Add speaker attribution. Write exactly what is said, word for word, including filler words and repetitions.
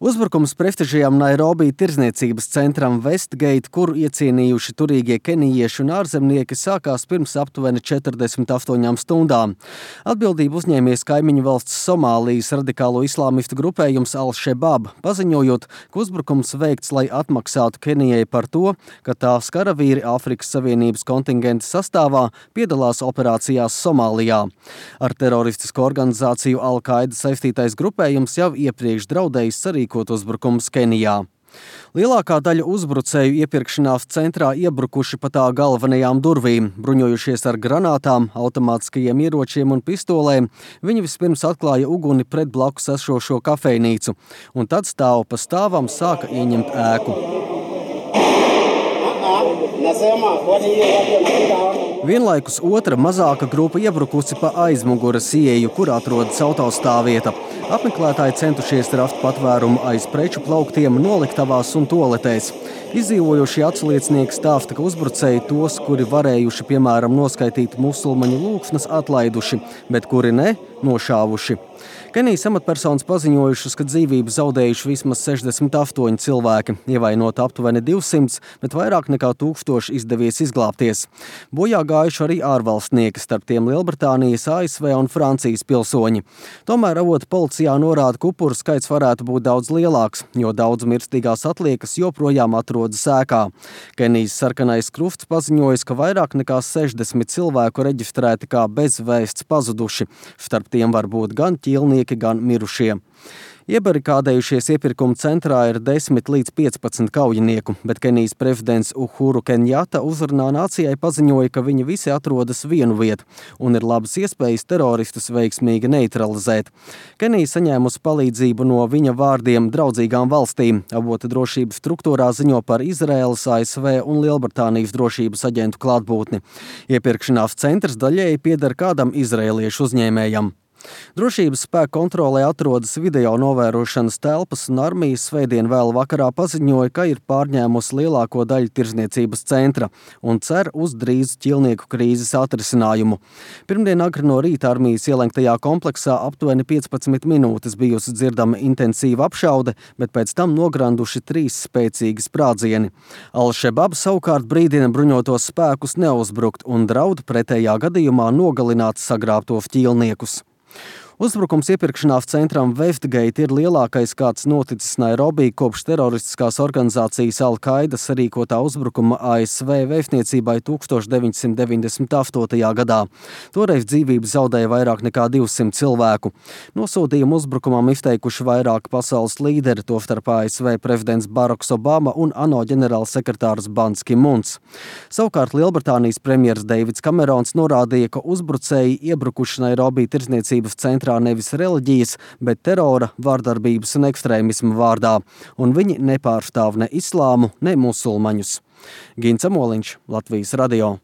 Speaker 1: Uzbrukums prestižajam Nairobi tirdzniecības centram Westgate, kuru iecienījuši turīgie kenijieši un ārzemnieki, sākās pirms aptuveni četrdesmit astoņām stundām. Atbildību uzņēmies kaimiņu valsts Somālijas radikālo islāmistu grupējums Al-Shabaab, paziņojot, ka uzbrukums veikts, lai atmaksātu Kenijai par to, ka tās karavīri Āfrikas Savienības kontingenta sastāvā piedalās operācijās Somālijā. Ar teroristisko organizāciju Al-Qaida saistītais grupējums jau iepriekš draudējis sarīkot uzbrukums Kenijā. Lielākā daļa uzbrucēju iepirkšanās centrā iebrukuši pa tā galvenajām durvīm, bruņojušies ar granātām, automātiskajiem ieročiem un pistolēm. Viņi vispirms atklāja uguni pret blakus esošo kafejnīcu, un tad stāvu pa stāvam sāka ieņemt ēku. Vienlaikus otra mazāka grupa iebrukusi pa aizmuguras ieeju, kur atrodas autostāvvieta. Apmeklētāji centušies rast patvērumu aiz preču plauktiem, noliktavās un toaletēs. Izdzīvojošie atsliecinieki stāsta, ka uzbrucēji tos, kuri varējuši, piemēram, noskaitīt musulmaņu lūgsmas, atlaiduši, bet kuri ne, nošāvuši. Kenijas amatpersonas paziņojušas, ka dzīvību zaudējuši vismaz sešdesmit astoņi cilvēki, ievainot aptuveni divsimt, bet vairāk nekā tūkstoši izdevies izglābties. Bojā gājuši arī ārvalstnieki, starp tiem Lielbritānijas, A S V un Francijas pilsoņi. Tomēr avoti policijā norāda, ka upuru skaits varētu būt daudz lielāks, jo daudz mirstīgās atliekas joprojām atrodas ēkā. Kenijas sarkanais krusts paziņojas, ka vairāk nekā sešdesmit cilvēku reģistrēti kā bezvēsts pazuduši. Starp tiem var būt gan ķīlnieki, gan mirušie. Iebarikādējušies iepirkuma centrā ir desmit līdz piecpadsmit kaujinieku, bet Kenijas prezidents Uhuru Kenjata uzrunā nācijai paziņoja, ka viņi visi atrodas vienu vietu un ir labas iespējas teroristus veiksmīgi neutralizēt. Kenija saņēmusi palīdzību no viņa vārdiem draudzīgām valstīm. Avota drošības struktūrā ziņo par Izraēlas, A S V un Lielbritānijas drošības aģentu klātbūtni. Iepirkšanās centrs daļēji pieder kādam izraēliešu uzņēmējam. Drošības spēku kontrolē atrodas video novērošanas telpas, un armija svētdien vēl vakarā paziņoja, ka ir pārņēmusi lielāko daļu tirdzniecības centra un cer uz drīzu ķilnieku krīzes atrisinājumu. Pirmdien agri no rīta armijas ielenktajā kompleksā aptuveni piecpadsmit minūtes bijusi dzirdama intensīva apšaude, bet pēc tam nogranduši trīs spēcīgi sprādzieni. Al-Shabaab savukārt brīdina bruņotos spēkus neuzbrukt un draud pretējā gadījumā nogalināt sagrābtos ķīlniekus. Uzbrukums iepirkšanās centram Westgate ir lielākais, kāds noticis Nairobi kopš teroristiskās organizācijas Al-Qaida sarīkotā uzbrukuma A S V vēstniecībai tukstovš deviņsimt deviņdesmit astotajā gadā. Toreiz dzīvību zaudēja vairāk nekā divsimt cilvēku. Nosodījumu uzbrukumam izteikuši vairāki pasaules līderi, tostarp A S V prezidents Baraks Obama un ANO ģenerālsekretārs Bans Ki-muns. Savukārt Lielbritānijas premjers Deivids Kamerons norādīja, ka uzbrucēji iebrukuši Nairobi tirdzniecības centrā nevis reliģijas, bet terora, vārdarbības un ekstrēmisma vārdā, un viņi nepārstāv ne islāmu, ne musulmaņus. Gints Amoliņš, Latvijas radio.